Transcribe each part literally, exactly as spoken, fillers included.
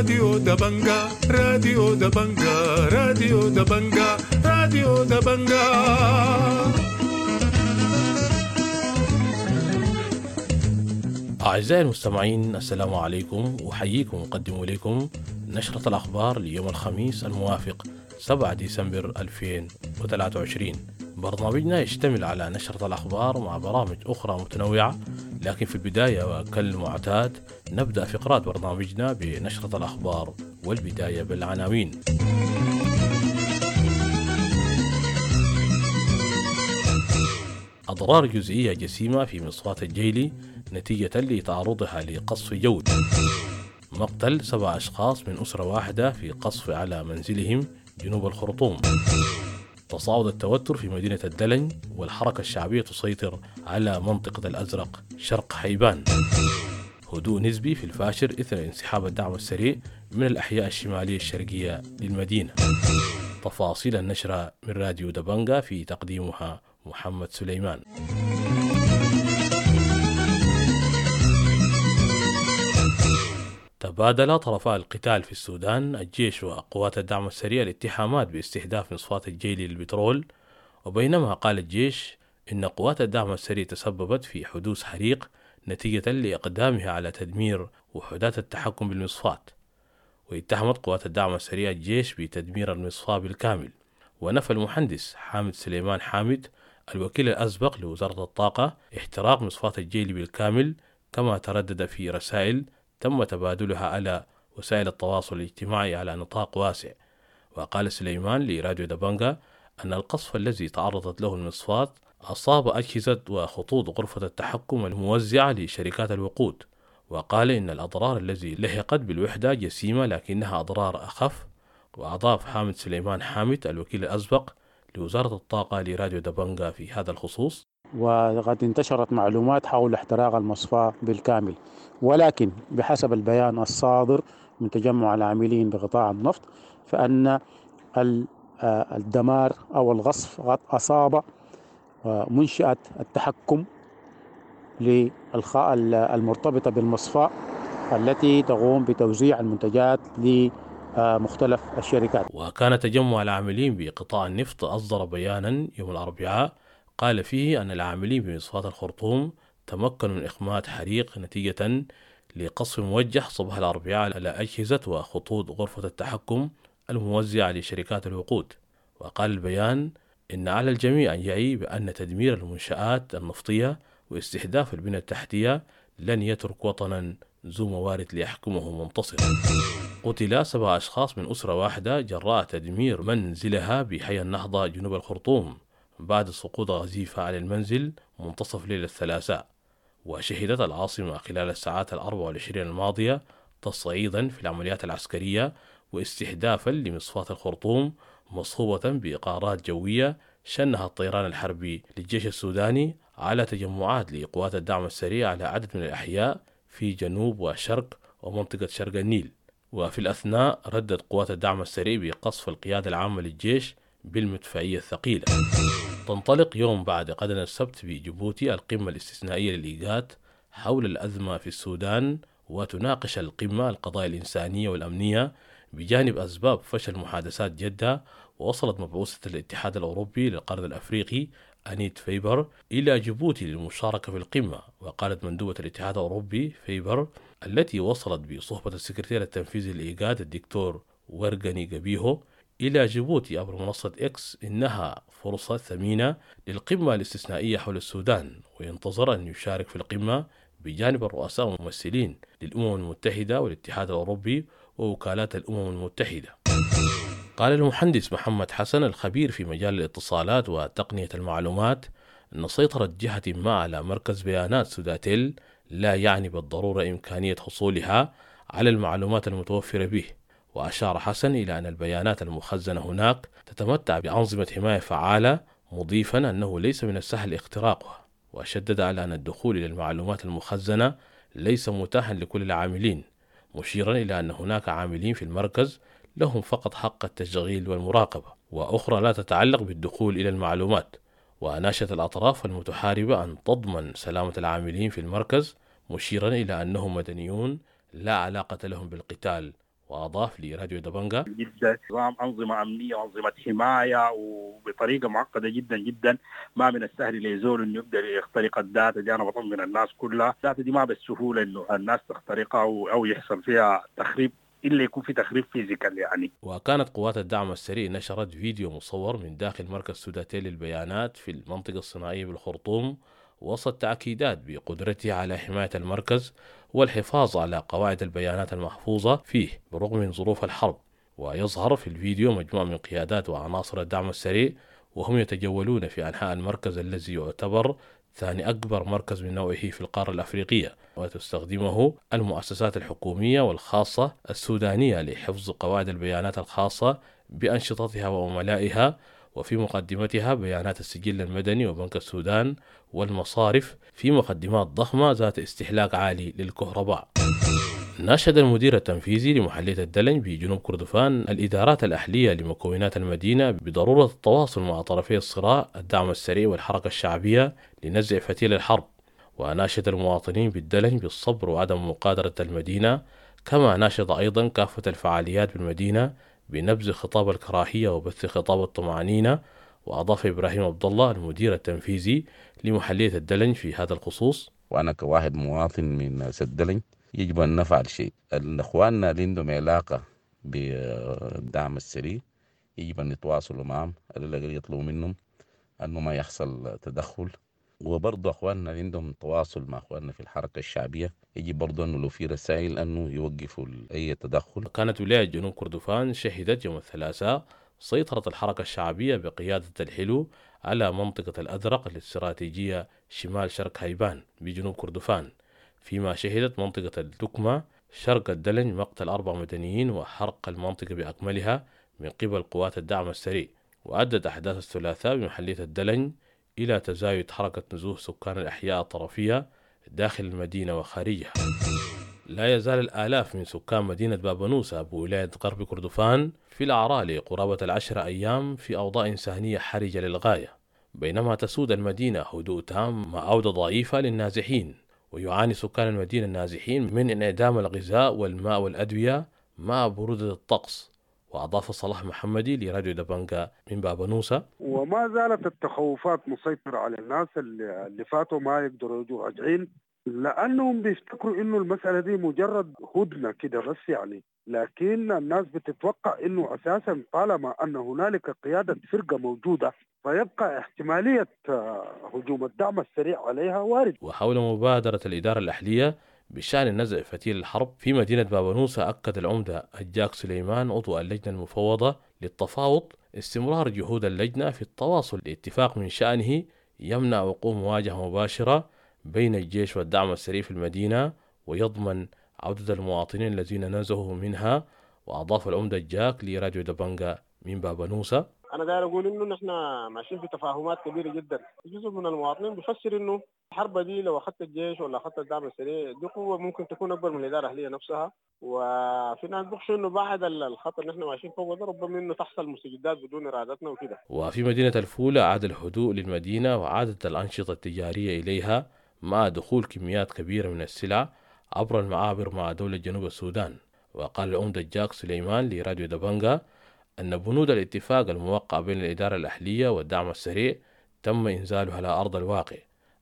راديو دبنجا، راديو دبنجا، راديو دبنجا، راديو دبنجا. أعزائي المستمعين، السلام عليكم، أحييكم وأقدم إليكم نشرة الأخبار ليوم الخميس الموافق سبعة ديسمبر ألفين وثلاثة وعشرين. برنامجنا يشتمل على نشرة الأخبار مع برامج أخرى متنوعة، لكن في البداية وكالمعتاد نبدأ فقرات برنامجنا بنشرة الأخبار، والبداية بالعناوين. أضرار جزئية جسيمة في مصفاة الجيلي نتيجة لتعرضها لقصف جوي. مقتل سبع أشخاص من أسرة واحدة في قصف على منزلهم جنوب الخرطوم. تصاعد التوتر في مدينة الدلنج والحركة الشعبية تسيطر على منطقة الأزرق شرق حيبان. هدوء نسبي في الفاشر إثر انسحاب الدعم السريع من الأحياء الشمالية الشرقية للمدينة. تفاصيل النشرة من راديو دبنجا في تقديمها محمد سليمان. تبادل طرفا القتال في السودان الجيش وقوات الدعم السريع الاتهامات باستهداف مصفاة الجيلي للبترول، وبينما قال الجيش إن قوات الدعم السريع تسببت في حدوث حريق نتيجة لإقدامها على تدمير وحدات التحكم بالمصفاة. واتهمت قوات الدعم السريع الجيش بتدمير المصفاة بالكامل. ونفى المهندس حامد سليمان حامد الوكيل الأسبق لوزارة الطاقة احتراق مصفاة الجيلي بالكامل، كما تردد في رسائل تم تبادلها على وسائل التواصل الاجتماعي على نطاق واسع. وقال سليمان لراديو دبنجا أن القصف الذي تعرضت له المصفاة أصاب أجهزة وخطوط غرفة التحكم الموزعة لشركات الوقود، وقال إن الأضرار التي لحقت بالوحدة جسيمة لكنها أضرار أخف. وأضاف حامد سليمان حامد الوكيل الأسبق لوزارة الطاقة لراديو دبنجا في هذا الخصوص: وقد انتشرت معلومات حول احتراق المصفاة بالكامل، ولكن بحسب البيان الصادر من تجمع العاملين بقطاع النفط فأن الدمار أو الغصف قد أصاب منشأة التحكم المرتبطة بالمصفاة التي تقوم بتوزيع المنتجات لمختلف الشركات. وكان تجمع العاملين بقطاع النفط أصدر بيانا يوم الأربعاء قال فيه أن العاملين بمصفاة الخرطوم تمكنوا من إخماد حريق نتيجة لقصف موجه صباح الأربعاء على أجهزة وخطوط غرفة التحكم الموزعة لشركات الوقود. وقال البيان إن على الجميع أن يعي بأن تدمير المنشآت النفطية واستهداف البنى التحتية لن يترك وطنا ذو موارد ليحكمه منتصر. قتل سبع أشخاص من أسرة واحدة جراء تدمير منزلها بحي النهضة جنوب الخرطوم بعد سقوط غزيفة على المنزل منتصف ليلة الثلاثاء. وشهدت العاصمة خلال الساعات الأربع والعشرين الماضية تصعيدا في العمليات العسكرية واستهدافا لمصفاة الخرطوم مصحوبة بإقارات جوية شنها الطيران الحربي للجيش السوداني على تجمعات لقوات الدعم السريع على عدد من الأحياء في جنوب وشرق ومنطقة شرق النيل. وفي الأثناء ردت قوات الدعم السريع بقصف القيادة العامة للجيش بالمدفعية الثقيلة. تنطلق يوم بعد غد السبت بجيبوتي القمة الاستثنائية للإيجاد حول الأزمة في السودان، وتناقش القمة القضايا الإنسانية والأمنية بجانب أسباب فشل محادثات جدة. ووصلت مبعوثة الاتحاد الأوروبي للقرن الأفريقي أنيت فيبر إلى جيبوتي للمشاركة في القمة. وقالت مندوبة الاتحاد الأوروبي فيبر التي وصلت بصحبة السكرتير التنفيذي للإيجاد الدكتور ورغني جابيهو إلى جيبوتي عبر منصة إكس إنها فرصة ثمينة للقمة الاستثنائية حول السودان، وينتظر أن يشارك في القمة بجانب الرؤساء والممثلين للأمم المتحدة والاتحاد الأوروبي ووكالات الأمم المتحدة. قال المهندس محمد حسن الخبير في مجال الاتصالات وتقنية المعلومات أن سيطرة جهة ما على مركز بيانات سوداتيل لا يعني بالضرورة إمكانية حصولها على المعلومات المتوفرة به. وأشار حسن إلى أن البيانات المخزنة هناك تتمتع بأنظمة حماية فعالة، مضيفا أنه ليس من السهل اختراقها. وشدد على أن الدخول إلى المعلومات المخزنة ليس متاحا لكل العاملين، مشيرا إلى أن هناك عاملين في المركز لهم فقط حق التشغيل والمراقبة، وأخرى لا تتعلق بالدخول إلى المعلومات. وأناشت الأطراف المتحاربة أن تضمن سلامة العاملين في المركز، مشيرا إلى أنهم مدنيون لا علاقة لهم بالقتال وأضاف لراديو دبنجا: جدا نظام أنظمة أمنية وأنظمة حماية وبطريقة معقدة جدا جدا، ما من السهل لزول إنه يقدر يخترق ال data دي. أنا بطمن الناس كلها، ال data دي ما بالسهولة إنه الناس تخترقها أو يحصل فيها تخريب إلا يكون في تخريب physical يعني. وكانت قوات الدعم السريع نشرت فيديو مصور من داخل مركز سوداتيل للبيانات في المنطقة الصناعية بالخرطوم وسط تأكيدات بقدرته على حماية المركز والحفاظ على قواعد البيانات المحفوظة فيه بالرغم من ظروف الحرب. ويظهر في الفيديو مجموعة من قيادات وعناصر الدعم السريع وهم يتجولون في أنحاء المركز الذي يعتبر ثاني أكبر مركز من نوعه في القارة الأفريقية، وتستخدمه المؤسسات الحكومية والخاصة السودانية لحفظ قواعد البيانات الخاصة بأنشطتها وعملائها، وفي مقدمتها بيانات السجل المدني وبنك السودان والمصارف في مقدمات ضخمة ذات استهلاك عالي للكهرباء. ناشد المدير التنفيذي لمحلية الدلنج بجنوب كردفان الإدارات الأهلية لمكونات المدينة بضرورة التواصل مع طرفي الصراع الدعم السريع والحركة الشعبية لنزع فتيل الحرب. وناشد المواطنين بالدلنج بالصبر وعدم مغادرة المدينة، كما ناشد أيضا كافة الفعاليات بالمدينة بنبذ خطاب الكراهية وبث خطاب الطمأنينة. وأضاف إبراهيم عبد الله المدير التنفيذي لمحلية الدلنج في هذا الخصوص: وأنا كواحد مواطن من الدلنج يجب أن نفعل شيء. الأخواننا اللي عندهم علاقة بالدعم السريع يجب أن يتواصلوا معهم، على الأقل يطلبوا منهم أنه ما يحصل تدخل. وبرضه أخواننا اللي عندهم تواصل مع أخواننا في الحركة الشعبية يجب برضه أنه لو في رسائل أنه يوقفوا أي تدخل. كانت ولاية جنوب كردفان شهدت يوم الثلاثاء سيطرة الحركة الشعبية بقيادة الحلو على منطقة الأزرق الاستراتيجية شمال شرق هيبان بجنوب كردفان، فيما شهدت منطقة الدكمة شرق الدلنج مقتل أربع مدنيين وحرق المنطقة بأكملها من قبل قوات الدعم السريع. وأدت أحداث الثلاثاء بمحلية الدلنج إلى تزايد حركة نزوح سكان الأحياء الطرفية داخل المدينة وخارجها. لا يزال الآلاف من سكان مدينة بابنوسة بولاية غرب كردفان في الأعراء لقرابة العشر أيام في أوضاع إنسانية حرجة للغاية، بينما تسود المدينة هدوء تام مع عودة ضعيفة للنازحين. ويعاني سكان المدينة النازحين من انعدام الغذاء والماء والأدوية مع برودة الطقس. وأضاف صلاح محمدي لراديو دبنجا من بابنوسة: وما زالت التخوفات مسيطرة على الناس اللي, اللي فاتوا ما يقدروا يجوا راجعين، لأنهم بيفتكروا إنه المسألة دي مجرد هدنة كده بس يعني. لكن الناس بتتوقع إنه أساسا طالما أن هنالك قيادة فرقة موجودة فيبقى احتمالية هجوم الدعم السريع عليها وارد. وحول مبادرة الإدارة الأهلية بشأن نزع فتيل الحرب في مدينة بابنوسة، أكد العمدة الجاك سليمان عضو اللجنة المفوضة للتفاوض استمرار جهود اللجنة في التواصل لاتفاق من شأنه يمنع وقوع مواجهة مباشرة بين الجيش والدعم السريع في المدينة ويضمن عودة المواطنين الذين نزهوا منها. وأضاف العمدة الجاك لراديو دبنجا من بابنوسة: أنا داير أقول إنه نحن ماشيين في تفاهمات كبيرة جدا. جزء من المواطنين بيفسر إنه الحرب دي لو أخذت الجيش ولا أخذت الدعم السريع دي قوة ممكن تكون أكبر من الإدارة الأهلية نفسها، وفي ناس بيخشوا إنه بعد الخط اللي نحن ماشيين فوقه ده ربما إنه تحصل مستجدات بدون إرادتنا وكده. وفي مدينة الفولة عاد الهدوء للمدينة وعادت الأنشطة التجارية إليها مع دخول كميات كبيرة من السلع عبر المعابر مع دولة جنوب السودان. وقال العمدة جاك سليمان لراديو دبنجا أن بنود الاتفاق الموقع بين الإدارة الأهلية والدعم السريع تم إنزالها على أرض الواقع،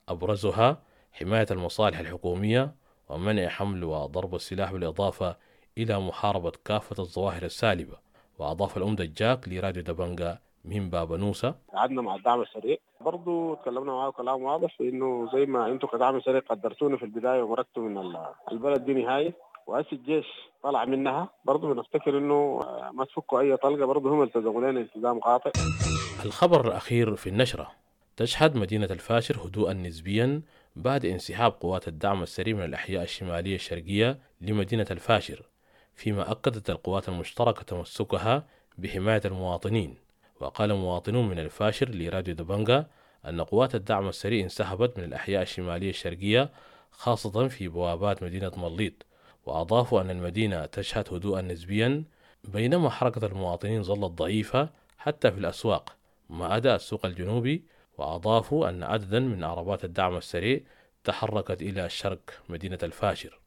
أبرزها حماية المصالح الحكومية ومنع حمل وضرب السلاح، بالإضافة إلى محاربة كافة الظواهر السالبة. وأضاف العمدة جاك لراديو دبنجا من بابنوسة: قعدنا مع الدعم السريع برضو تكلمنا معاه كلام واضح إنه زي ما أنتم كدعم سريع قدرتونا في البداية ومرقتوا من البلد دي نهاية، وأسي الجيش طلع منها، برضو بنفتكر إنه ما تفكوا أي طلقة، برضو هم التزموا لنا التزام قاطع. الخبر الأخير في النشرة: تشهد مدينة الفاشر هدوءا نسبيا بعد انسحاب قوات الدعم السريع من الأحياء الشمالية الشرقية لمدينة الفاشر، فيما أكدت القوات المشتركة تمسكها بحماية المواطنين. وقال مواطنون من الفاشر لراديو دبنجا أن قوات الدعم السريع انسحبت من الأحياء الشمالية الشرقية خاصة في بوابات مدينة مليط، وأضافوا أن المدينة تشهد هدوءا نسبيا بينما حركة المواطنين ظلت ضعيفة حتى في الأسواق ما عدا السوق الجنوبي. وأضافوا أن عددا من عربات الدعم السريع تحركت إلى الشرق مدينة الفاشر.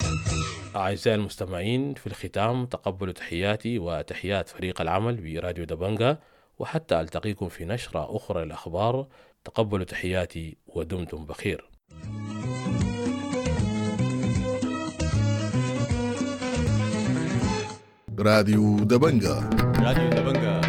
أعزائي المستمعين، في الختام تقبلوا تحياتي وتحيات فريق العمل براديو دبنجا، وحتى ألتقيكم في نشرة أخرى للأخبار. تقبلوا تحياتي ودمتم بخير. راديو دبنجا. راديو دبنجا.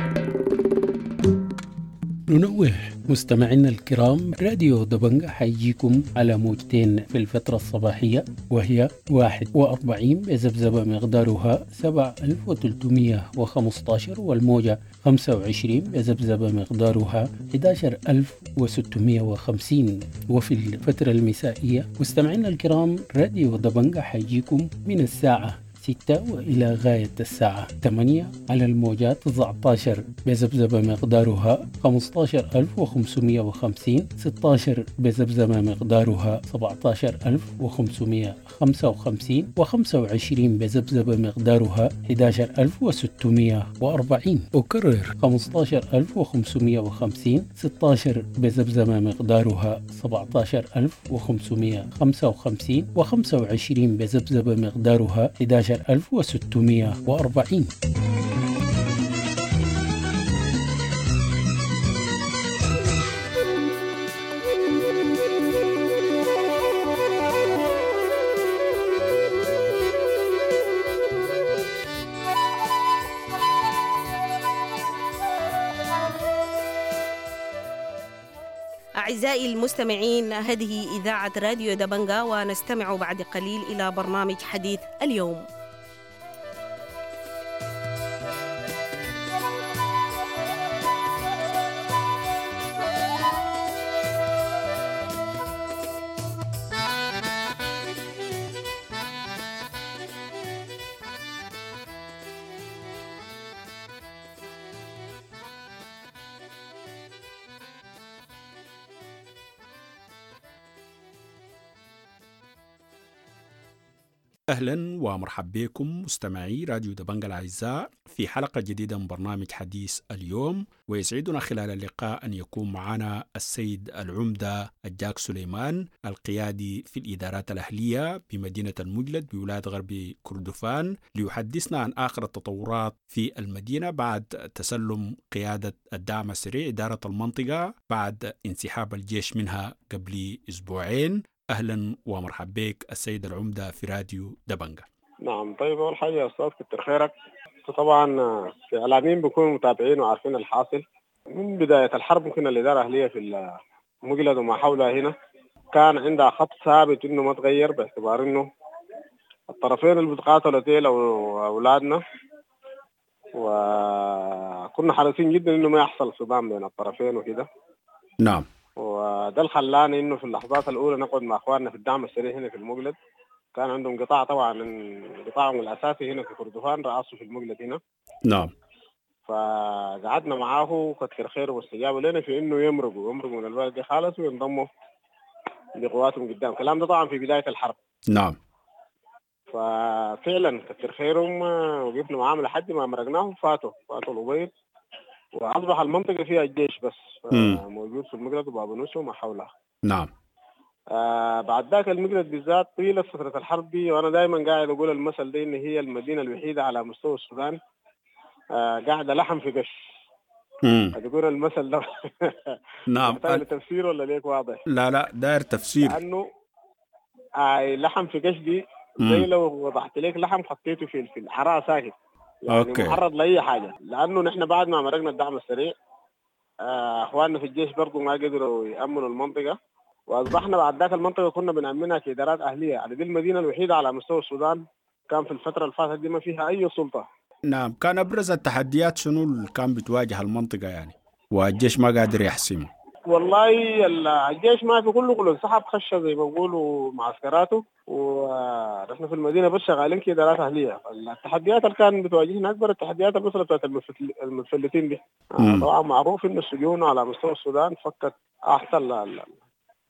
ننوه مستمعينا الكرام، راديو دبنجا حيجيكم على موجتين في الفترة الصباحية، وهي واحد وأربعين بذبذبة مقدارها سبعة آلاف وثلاثمية وخمسة عشر، والموجة خمسة وعشرين بذبذبة مقدارها أحد عشر ألف وستمية وخمسين. وفي الفترة المسائية مستمعينا الكرام، راديو دبنجا حيجيكم من الساعة ستة وإلى غاية الساعة ثمانية على الموجات تسعة عشر بذبذبة مقدارها خمسة عشر ألف وخمسمية وخمسين، ستة عشر بذبذبة مقدارها سبعة عشر ألف وخمسمية وخمسة وخمسين، وخمسة وعشرين بذبذبة مقدارها أحد عشر ألف وستمية وأربعين. أكرر، خمسة عشر ألف وخمسمية وخمسين، ستة عشر بذبذبة مقدارها سبعة عشر ألف وخمسمية وخمسة وخمسين، وخمسة وعشرين بذبذبة مقدارها أحد عشر ألف وستمية وأربعين. أعزائي المستمعين، هذه إذاعة راديو دبنجا، ونستمع بعد قليل إلى برنامج حديث اليوم. أهلا ومرحبا بكم مستمعي راديو دبنجا الأعزاء في حلقة جديدة من برنامج حديث اليوم، ويسعدنا خلال اللقاء أن يكون معنا السيد العمدة الجاك سليمان، القيادي في الإدارات الأهلية بمدينة المجلد بولاية غرب كردفان، ليحدثنا عن آخر التطورات في المدينة بعد تسلم قيادة الدعم السريع إدارة المنطقة بعد انسحاب الجيش منها قبل أسبوعين. اهلا ومرحبا بك السيد العمده في راديو دبنجا. نعم، طيب، اول حاجه يا استاذ كتر خيرك. طبعا في اعلاميين بيكونوا متابعين وعارفين الحاصل من بدايه الحرب. ممكن الاداره الاهليه في المجلد وما حولها هنا كان عندها خط ثابت انه ما تغير، باعتبار انه الطرفين اللي بيتقاتلوا ديل اولادنا، وكنا حريصين جدا انه ما يحصل صدام بين الطرفين وكده. نعم وده اللي خلانا انه في اللحظات الاولى نقعد مع اخواننا في الدعم السريع هنا في المجلد. كان عندهم قطاع، طبعا قطاعهم الاساسي هنا في كردفان رأسه في المجلد هنا. نعم فقعدنا معاه وكتر خيره واستجابوا لنا في انه يمرقوا يمرقوا من البلد دي خالص وينضموا لقواتهم قدام. الكلام ده طبعا في بدايه الحرب. نعم ففعلا كتر خيرهم، وقفنا معاهم لحد ما مرقناهم، فاتوا فاتوا الأبيض، واصبح المنطقه فيها الجيش بس مم. موجود في المجلد وبابنوسه وما حولها. نعم آه بعد ذاك المجلد بالذات طيلة فترة الحرب دي، وأنا دائما قاعد أقول المثل ده، إن هي المدينة الوحيدة على مستوى السودان آه قاعدة لحم في قش. مم. تقول المثل ده نعم محتاج لتفسير ولا ليك واضح؟ لا لا، داير تفسير. لأنه آه لحم في قش دي زي لو وضعت لك لحم حطيته في في الحرارة ساكت، يعني okay. معرض لاي حاجه. لانه نحن بعد ما مرقنا الدعم السريع، آه، اخواننا في الجيش برضو ما قدروا يامنوا المنطقه، واصبحنا بعد ذاك المنطقه كنا بنامنها كادارات اهليه. يعني دي المدينه الوحيده على مستوى السودان كان في الفتره اللي فاتت دي ما فيها اي سلطه. نعم، كان ابرز التحديات شنو اللي كان بتواجه المنطقه يعني والجيش ما قادر يحسمه؟ والله الجيش ما في، كله كله انسحب، خش زي ما بيقولوا معسكراته، ونحن في المدينه بس شغالين كادارات اهليه. التحديات اللي كان بتواجهنا، اكبر التحديات المساله بتاعت المتفلتين دي. مم. طبعا معروف ان السجون على مستوى السودان فكت احسن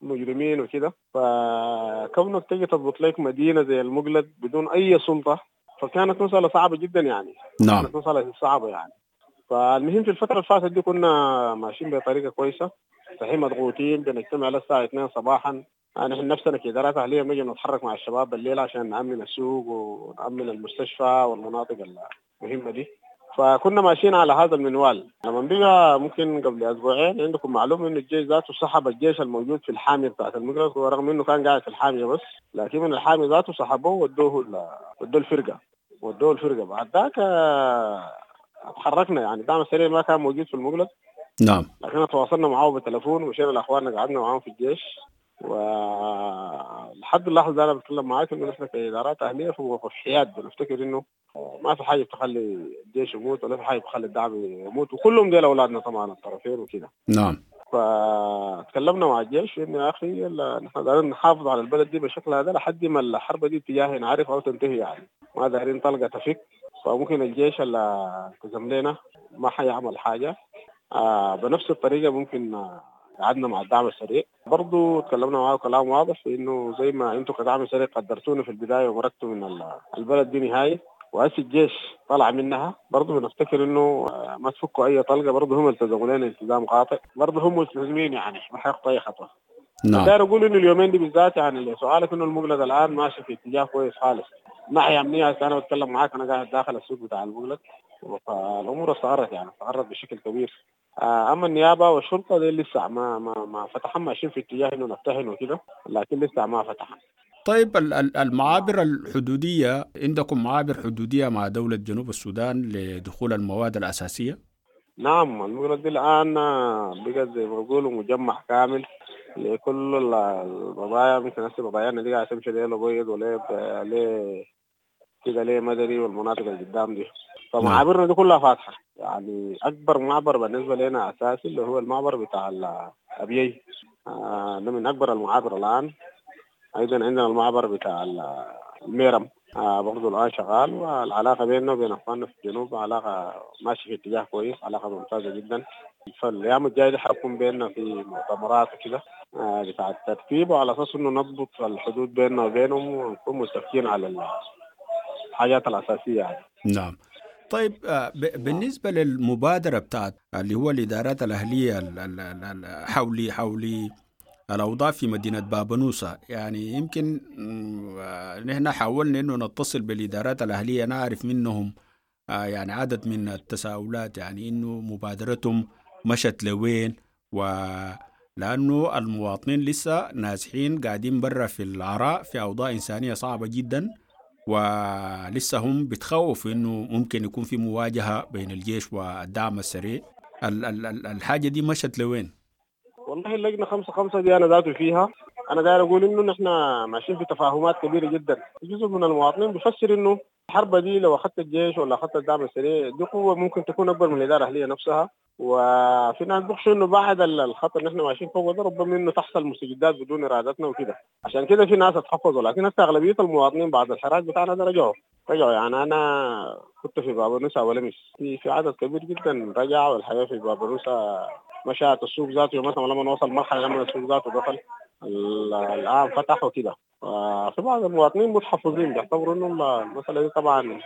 المجرمين وكده، فكونك تجي تضبط لك مدينه زي المجلد بدون اي سلطه فكانت مساله صعبه جدا يعني. نعم كانت مساله صعبه يعني. فالمهم في الفتره اللي فاتت دي كنا ماشيين بطريقه كويسه، صحيح مضغوطين، بنجتمع للساعه اثنين صباحا. نحن نفسنا كإدارات أهلية بنجي نتحرك مع الشباب بالليل عشان نأمن السوق ونأمن المستشفى والمناطق المهمة دي. فكنا ماشيين على هذا المنوال. لما بقى ممكن قبل أسبوعين عندكم معلومة إنه الجيش ذاته سحب الجيش الموجود في الحامية بتاعت المقرز، ورغم إنه كان قاعد في الحامية بس، لكن من الحامية ذاته سحبوه ودوه ودوه الفرقة ودوه الفرقة. بعد ذاك اتحركنا، يعني الدعم السريع ما كان موجود في المقلد. نعم. لكن تواصلنا معه بالتلفون ومشينا لأخواننا قعدنا معاهم في الجيش، ولحد اللحظة دي أنا بتكلم معاك إنه نحن كإدارات أهلية في موقف حياد، بنفتكر إنه ما في حاجة بتخلي الجيش يموت ولا في حاجة بتخلي الدعم يموت، وكلهم ديل أولادنا طبعا الطرفين وكده. نعم. فتكلمنا مع الجيش إنه يا أخي نحن دايرين نحافظ على البلد دي بالشكل هذا لحد ما الحرب دي اتجاهي نعرف أو تنتهي، يعني ما دايرين طلقة تفك. فممكن الجيش اللي التزم لنا ما حيعمل حاجة. آه بنفس الطريقة ممكن قعدنا مع الدعم السريع برضو، تكلمنا معاه كلام واضح إنه زي ما أنتم كدعم سريع قدرتونا في البداية ومرقتوا من البلد دي نهائي، وهسه الجيش طلع منها، برضو بنفتكر إنه ما تفكوا أي طلقة. برضو هم التزموا لنا التزام قاطع، برضو هم ملتزمين يعني ما حيخطوا أي خطوة. نعم. داير أقول إنه اليومين دي بالذات يعني سؤالك إنه المقلد الآن ماشي في اتجاه كويس خالص. ناحية أمنية أنا بتكلم معاك، أنا قاعد داخل السوق بتاع المقلد، فالأمور استقرت يعني استقرت بشكل كبير. اما النيابه والشرطه دي لسه ما ما ما فتحوا، ماشيين في اتجاه انه نفتحن وكده، لكن لسه ما فتحوا. طيب المعابر الحدوديه، عندكم معابر حدوديه مع دوله جنوب السودان لدخول المواد الاساسيه؟ نعم، المقلد دي الان بقت زي ما بيقولوا مجمع كامل لكل البضائع. مثل نفس بضائعنا دي قاعده تمشي ليه الابيض وليه ليه كده ليه مدني والمناطق اللي قدام دي. فمعابرنا دي كلها فاتحه، يعني اكبر معبر بالنسبه لنا اساسي اللي هو المعبر بتاع الابيي، آه ده من اكبر المعابر الان. ايضا عندنا المعبر بتاع الميرم آه برضه الان شغال، والعلاقه بيننا وبين اخواننا في الجنوب علاقه ماشيه في اتجاه كويس، علاقه ممتازه جدا. فالايام الجايه دي حيكون بيننا في مؤتمرات وكده آه بتاع الترتيب، وعلى اساس انه نضبط الحدود بيننا وبينهم ونكون متفقين على الحاجات الاساسيه يعني. نعم. طيب بالنسبة للمبادرة بتاعت اللي هو الإدارات الأهلية حولي حولي الأوضاع في مدينة بابنوسة، يعني يمكن نحن حاولنا إنه نتصل بالإدارات الأهلية نعرف منهم يعني عدد من التساؤلات، يعني إنه مبادرتهم مشت لوين، ولأنه المواطنين لسه نازحين قاعدين برا في العراء في أوضاع إنسانية صعبة جدا، ولسه هم بتخوفوا إنه ممكن يكون في مواجهة بين الجيش والدعم السريع. الحاجة دي مشت لوين؟ والله اللجنة خمسة خمسة دي أنا ذاته فيها. أنا داير أقول إنه نحن ماشيين في تفاهمات كبيرة جدا. جزء من المواطنين بيفسر إنه الحرب دي لو أخذت الجيش ولا أخذت الدعم السريع دي قوة ممكن تكون أكبر من الإدارة الأهلية نفسها، وفي ناس بيخشوا إنه بعد الخط اللي نحن ماشيين فوق ده ربما إنه تحصل مستجدات بدون إرادتنا وكده، عشان كده في ناس اتحفظوا. لكن هسه أغلبية المواطنين بعد الحراك بتاعنا ده رجعوا رجعوا يعني أنا كنت في بابنوسة ولمس في في عدد كبير جدا رجع، والحياة في بابنوسة مشات السوق ذاته مثلا لما نوصل مرحلة لما السوق ذاته دخل الآن فتح وكده. في بعض المواطنين متحفظين بيعتبروا إنه المسألة دي طبعا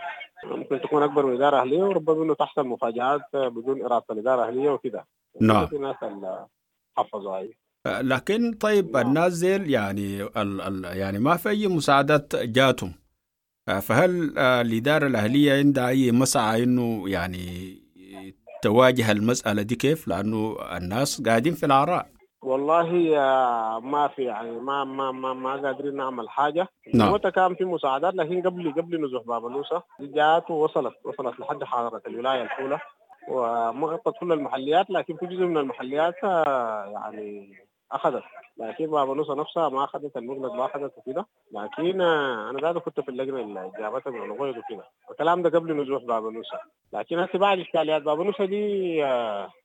ممكن تكون أكبر من إدارة أهلية، وربما إنه تحصل مفاجآت بدون إرادة الإدارة الأهلية وكده. نعم. في ناس اللي حفظوا هاي. لكن طيب نعم. الناس زيل يعني ال ال يعني ما في أي مساعدات جاتهم، فهل الإدارة الأهلية عندها أي مسعى إنه يعني تواجه المسألة دي كيف؟ لأنه الناس قاعدين في العراء. والله ما في يعني ما ما ما ما قادرين نعمل حاجة. نعم. وقتها كان في مساعدات، لكن قبل قبل نزوح بابنوسة دي جات ووصلت وصلت لحد حاضرة الولاية الأولى وما غطت كل المحليات، لكن في جزء من المحليات يعني أخذت، لكن بابنوسة نفسها ما أخذت، المقلد ما أخذت وكده. لكن أنا ذاته كنت في اللجنة اللي جابتها من الغيض وكده، الكلام ده قبل نزوح بابنوسة. لكن هسه بعد إشكاليات بابنوسة دي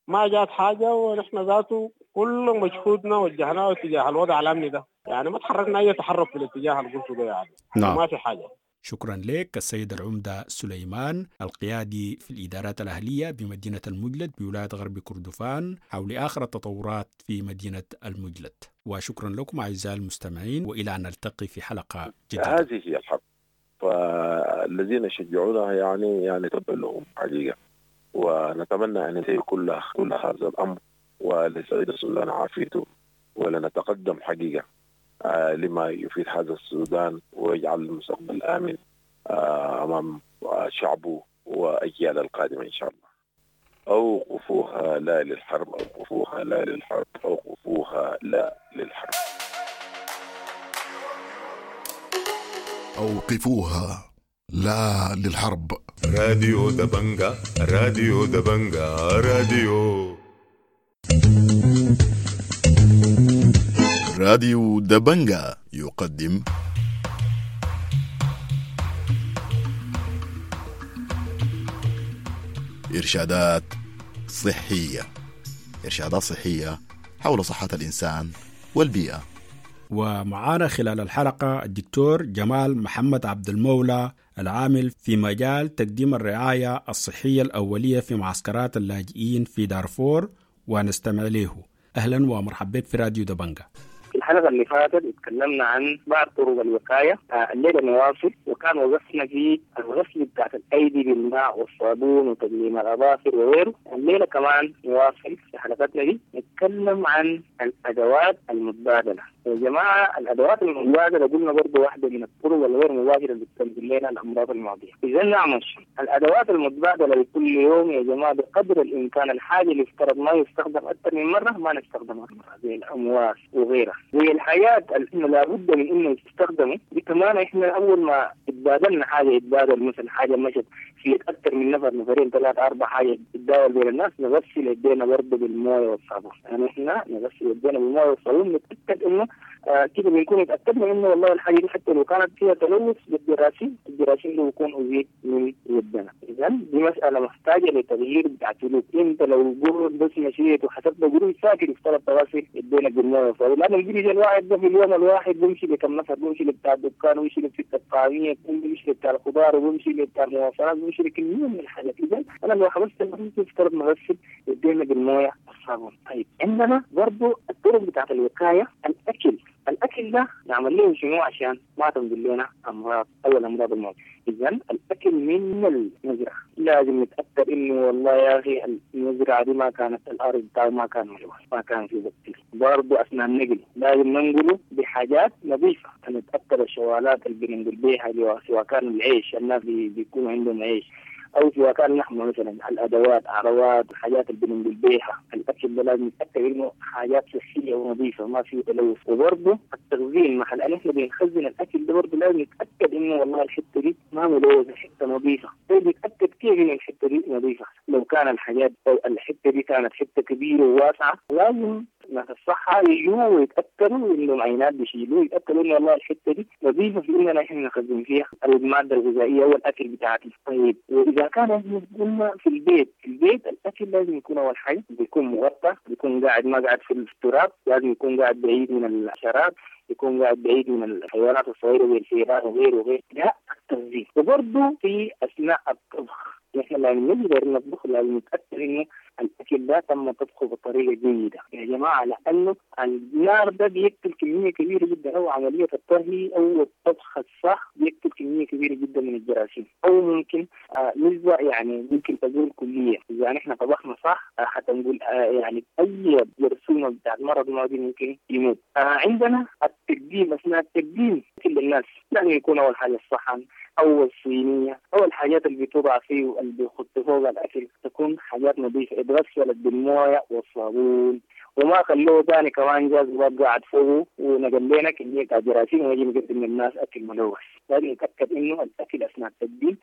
ما جات حاجة، ونحن ذاته كل مجهودنا وجهناه اتجاه الوضع الأمني ده، يعني ما تحركنا أي تحرك في الاتجاه اللي قلته ده يعني. نعم. ما في حاجة. شكرا لك السيد العمدة سليمان القيادي في الإدارات الأهلية بمدينة المجلد بولاية غرب كردفان حول آخر التطورات في مدينة المجلد. وشكرا لكم أعزائي المستمعين، وإلى أن نلتقي في حلقة جديدة. هذه هي الحرب، فالذين يشجعونها يعني يعني تبا لهم حقيقة، ونتمنى أن ينتهي كل كل هذا الأمر ولسعيد السودان عافيته ولنتقدم حقيقة. لما يفيد هذا السودان ويجعل المستقبل آمن أمام شعبه وأجيال القادمة إن شاء الله. أوقفوها لا للحرب، أوقفوها لا للحرب، أوقفوها لا للحرب. أوقفوها لا للحرب. راديو دبنجا، راديو دبنجا، راديو راديو دبنجا يقدم إرشادات صحية. إرشادات صحية حول صحة الإنسان والبيئة. ومعانا خلال الحلقة الدكتور جمال محمد عبد المولى العامل في مجال تقديم الرعاية الصحية الأولية في معسكرات اللاجئين في دارفور، ونستمع له. أهلا ومرحبا بك في راديو دبنجا. في الحلقة اللي فاتت اتكلمنا عن بعض طرق الوقاية، الليلة نواصل، وكان وقفنا في الغسل بتاعت الأيدي بالماء والصابون وتقليم الأظافر وغيره. الليلة كمان نواصل في حلقتنا دي نتكلم عن الأدوات المتبادلة. يا جماعة الأدوات المتبادلة قلنا برضو واحدة من الطرق الغير مباشرة اللي بتنقل لنا الأمراض المعدية. إذا نعمل الأدوات المتبادلة لكل يوم يا جماعة بقدر الإمكان، الحاجة اللي افترض ما يستخدم أكثر من مرة ما نستخدمها مرة، زي الأمواس وغيرها، زي الحاجات اللي لابد من إنه يستخدموا دي. كمان إحنا أول ما اتبادلنا حاجة، اتبادل مثلا حاجة مشت في أكثر من نفر، نفرين ثلاثة أربع، حاجة تتداول بين الناس، نغسل يدينا برضه بالموية والصابون. يعني إحنا نغسل يدينا بالموية والصابون، نتأكد إنه آه كده بنكون اتأكدنا إنه والله الحاجة دي حتى لو كانت فيها تلوث بالجراثيم، الجراثيم اللي بيكون أزيد من يدنا. إذا دي مسألة محتاجة لتغيير بتاع سلوك. أنت لو جرد بس مشيت وحسبت جروج ساكت افترض تغسل يدينا بالموية والصابون، لأن الجريج الواحد ده في اليوم الواحد بيمشي لكم نفر، بيمشي لبتاع الدكان، ويمشي لبتاع الطعامية، بيمشي لبتاع الخضار، وبيمشي لبتاع المواصلات، بيمشي لكمية من الحاجات. إذا أنا لو حبست افترض نغسل يدينا بالموية والصابون. طيب عندنا برضو الطرق بتاعت الوقاية، الأكل. الأكل ده نعمل له شنو عشان ما تنزل لنا أمراض أو الأمراض المعدية؟ إذا الأكل من المزرعة لازم نتأكد إنه والله يا أخي المزرعة دي ما كانت الأرض بتاعه ما كان ملوث، ما كان في بكتيريا. برضه أثناء النقل لازم ننقله بحاجات نظيفة، نتأكد الشوالات اللي بننقل بيها، سواء كان العيش، الناس بيكون عندهم عيش، أو سواء كان لحمة مثلا، الأدوات، عروات، الحاجات اللي بننقل بيها الأكل ده لازم نتأكد إنه حاجات صحية ونظيفة ما فيه تلوث. وبرضه التخزين، محل أن إحنا بنخزن الأكل ده برضه لازم نتأكد إنه والله الحتة دي ما ملوثة، حتة نظيفة. طيب نتأكد كيف إن الحتة دي نظيفة؟ لو كان الحاجات أو الحتة دي كانت حتة كبيرة وواسعة، لازم ناس الصحة يجوا ويتأكدوا إنه عينات بيشيلوه، يتأكدوا إنه والله الحتة دي نظيفة في إننا إحنا نخزن فيها المادة الغذائية والأكل بتاعتنا. طيب وإذا كان إحنا قلنا في البيت، في البيت الأكل لازم يكون أول حاجة بيكون مغطى، بيكون قاعد ما قاعد في التراب، لازم يكون قاعد بعيد من الحشرات، يكون قاعد بعيد من الحيوانات الصغيرة زي الفئران وغيره وغيره. ده التخزين. وبرضه في أثناء الطبخ نحن لازم نقدر نطبخ، لازم نتأكد إنه الأكل ده تم طبخه بطريقة جيدة يا جماعة، لأنه النار ده بيقتل كمية كبيرة جدا، أو عملية الطهي أو الطبخ الصح بيقتل كمية كبيرة جدا من الجراثيم، أو ممكن آه نسبة يعني ممكن تقول كلية. إذا نحن طبخنا صح آه حتى نقول آه يعني أي جرثومة بتاعت مرض معدي ممكن يموت. آه عندنا التقديم، أثناء التقديم كل الناس لازم يكون أول حاجة الصحن أو الصينية أو الحاجات اللي بتوضع فيه واللي بيخط فوق الأكل تكون حاجات نظيفة، اتغسلت بالموية والصابون، وما خلوه تاني كمان جاز قاعد فوقه ونقل لنا كمية جراثيم ونجي نقدم للناس أكل ملوث. لازم نتأكد إنه الأكل أثناء التقديم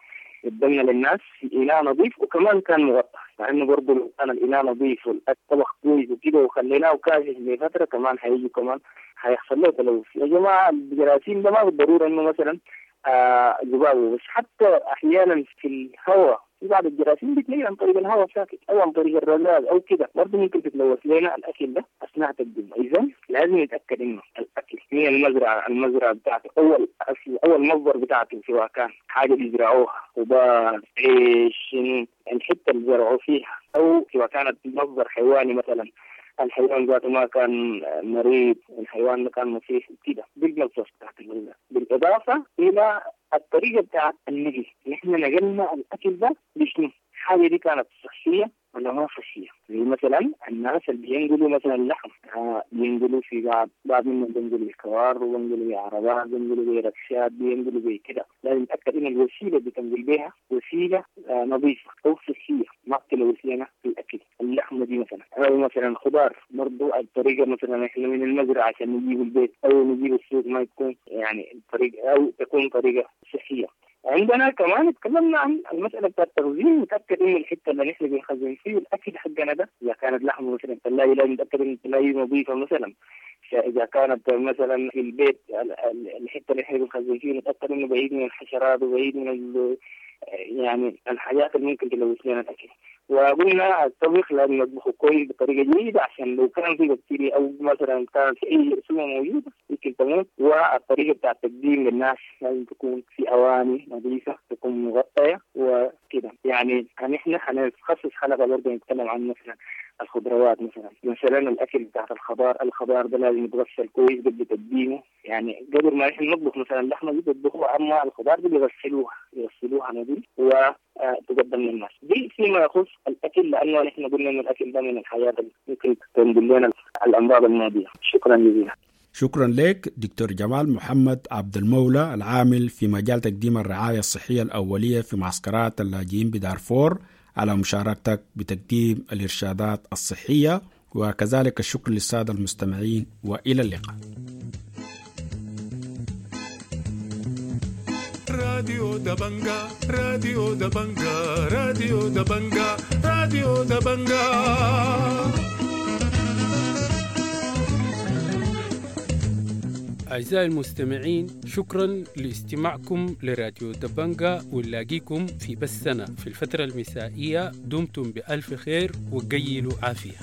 قدمنا للناس في إناء نظيف وكمان كان مغطى، مع إنه برضه لو كان الإناء نظيف والطبخ كويس وكده وخليناه كافي لفترة كمان هيجي كمان هيحصل له تلوث. يا جماعة الجراثيم ده ما بالضرورة إنه مثلا آه ذبابه، بس حتى أحيانا في الهواء في بعض الجراثيم بتلاقي عن طريق الهواء ساكت أو عن طريق الرذاذ أو كده، برضه ممكن تتلوث لنا الأكل ده أثناء تقديمه. إذا لازم نتأكد إنه الأكل من المزرعة، المزرعة بتاعته أول أصل أول مصدر بتاعته سواء كان حاجة بيزرعوها خضار، عيش، الحتة اللي زرعوا فيها، أو سواء كانت مصدر حيواني مثلا، الحيوان ذاته ما كان مريض، الحيوان ما كان مصيح كده، دي المصدر بتاعت الغذاء. بالإضافة إلى الطريقة بتاعت النقل، نحن نقلنا الأكل ده بشنو؟ الحاجة دي كانت صحية ولا ما صحية؟ زي مثلا الناس اللي بينقلوا مثلا لحم، آه بينقلوا في بعض بعض منهم بينقلوا بالكوار، وبينقلوا بعربات، بينقلوا بركشات، بينقلوا بكده. لازم نتأكد إن الوسيلة اللي بتنقل بها وسيلة آه نظيفة أو صحية، ما بتلوث لنا الأكل. اللحمة دي مثلا، أو مثلا خضار برضو الطريقة مثلا إحنا من المزرعة عشان نجيب البيت أو نجيب السوق ما يكون يعني طريقة أو تكون طريقة صحية. عندنا كمان تكلمنا عن المسألة بتاعت التخزين، نتأكد إنه الحتة اللي نحن بنخزن فيه الأكل حقنا ده إذا كانت لحمة مثلا الثلاجة لازم نتأكد إن الثلاجة نظيفة مثلا. إذا كانت مثلا في البيت الحتة اللي نحن بنخزن فيه نتأكد إنه بعيد من الحشرات وبعيد من يعني الحاجات اللي ممكن تلوث لنا الأكل. وقلنا الطبخ لازم نطبخه كويس بطريقة جيدة عشان لو كان في بكتيريا أو مثلا كان في أي جرثومة موجودة ممكن تموت. والطريقة بتاع التقديم للناس لازم تكون في أواني نظيفة، تكون مغطية وكده. يعني نحن حنخصص حلقة برضه نتكلم عن مثلا الخضروات، مثلا مثلا الأكل بتاعت الخضار، الخضار ده لازم يتغسل كويس قبل تقديمه. يعني قبل ما نحن نطبخ مثلا اللحمة دي بيطبخوها، أما الخضار دي بيغسلوها يغسلوها نظيف وتقدم للناس. دي فيما يخص الأكل، لأنه نحن قلنا إن الأكل ده من الحياة اللي ممكن تنقل لنا الأمراض المعدية. شكرا جزيلا. شكرا لك دكتور جمال محمد عبد المولى، العامل في مجال تقديم الرعاية الصحية الأولية في معسكرات اللاجئين بدارفور، على مشاركتك بتقديم الإرشادات الصحية، وكذلك الشكر للسادة المستمعين، وإلى اللقاء. راديو دبنجا، راديو دبنجا، راديو دبنجا، راديو دبنجا. أعزائي المستمعين، شكرا لاستماعكم لراديو دبنجا، ونلاقيكم في بثنا في الفترة المسائية. دمتم بألف خير وقيلوا عافية.